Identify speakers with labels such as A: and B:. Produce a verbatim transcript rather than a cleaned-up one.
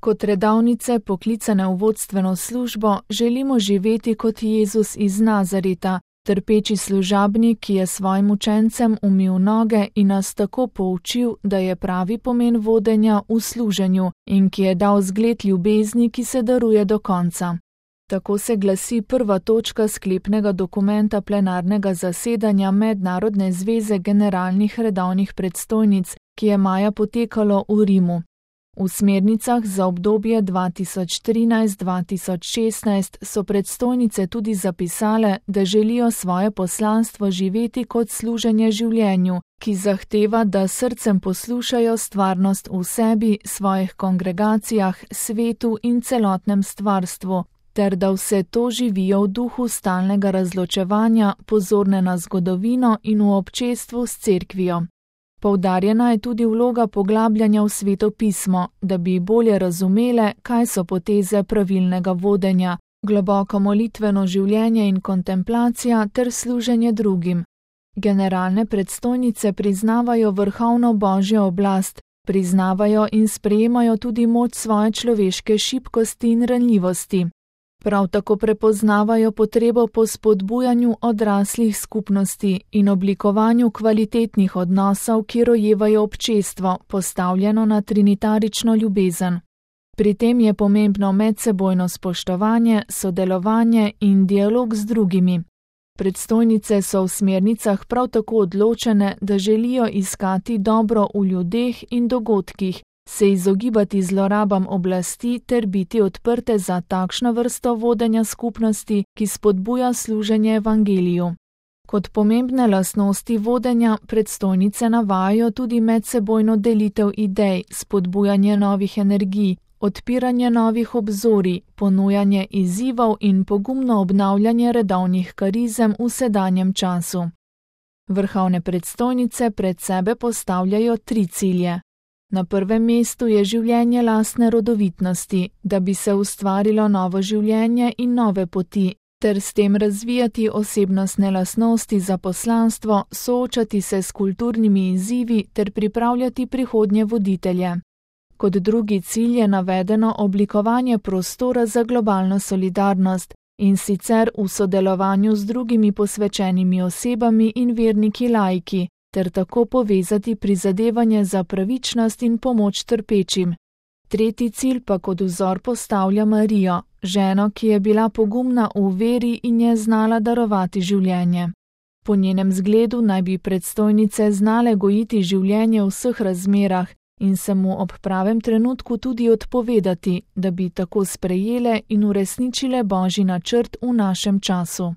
A: Kot redovnice, poklicane v vodstveno službo, želimo živeti kot Jezus iz Nazareta, trpeči služabnik, ki je svojim učencem umil noge in nas tako poučil, da je pravi pomen vodenja v služenju in ki je dal zgled ljubezni, ki se daruje do konca. Tako se glasi prva točka sklepnega dokumenta plenarnega zasedanja Mednarodne zveze generalnih redovnih predstojnic, ki je maja potekalo v Rimu. V smernicah za obdobje dva tisoč trinajst do dva tisoč šestnajst so predstojnice tudi zapisale, da želijo svoje poslanstvo živeti kot služenje življenju, ki zahteva, da srcem poslušajo stvarnost v sebi, svojih kongregacijah, svetu in celotnem stvarstvu, ter da vse to živijo v duhu stalnega razločevanja, pozorne na zgodovino in v občestvu s cerkvijo. Poudarjena je tudi vloga poglabljanja v Sveto pismo, da bi bolje razumele, kaj so poteze pravilnega vodenja, globoko molitveno življenje in kontemplacija ter služenje drugim. Generalne predstojnice priznavajo vrhovno Božjo oblast, priznavajo in sprejemajo tudi moč svoje človeške šibkosti in ranljivosti. Prav tako prepoznavajo potrebo po spodbujanju odraslih skupnosti in oblikovanju kvalitetnih odnosov, ki rojevajo občestvo, postavljeno na trinitarično ljubezen. Pri tem je pomembno medsebojno spoštovanje, sodelovanje in dialog z drugimi. Predstojnice so v smernicah prav tako odločene, da želijo iskati dobro v ljudeh in dogodkih, se izogibati zlorabam oblasti ter biti odprte za takšno vrsto vodenja skupnosti, ki spodbuja služenje evangeliju. Kot pomembne lastnosti vodenja predstojnice navajajo tudi medsebojno delitev idej, spodbujanje novih energij, odpiranje novih obzorij, ponujanje izzivov in pogumno obnavljanje redovnih karizem v sedanjem času. Vrhovne predstojnice pred sebe postavljajo tri cilje. Na prvem mestu je življenje lastne rodovitnosti, da bi se ustvarilo novo življenje in nove poti, ter s tem razvijati osebnostne lastnosti za poslanstvo, soočati se s kulturnimi izzivi ter pripravljati prihodnje voditelje. Kot drugi cilj je navedeno oblikovanje prostora za globalno solidarnost, in sicer v sodelovanju z drugimi posvečenimi osebami in verniki laiki, ter tako povezati prizadevanje za pravičnost in pomoč trpečim. Tretji cilj pa kot vzor postavlja Marijo, ženo, ki je bila pogumna v veri in je znala darovati življenje. Po njenem zgledu naj bi predstojnice znale gojiti življenje v vseh razmerah in se mu ob pravem trenutku tudi odpovedati, da bi tako sprejele in uresničile Božji načrt v našem času.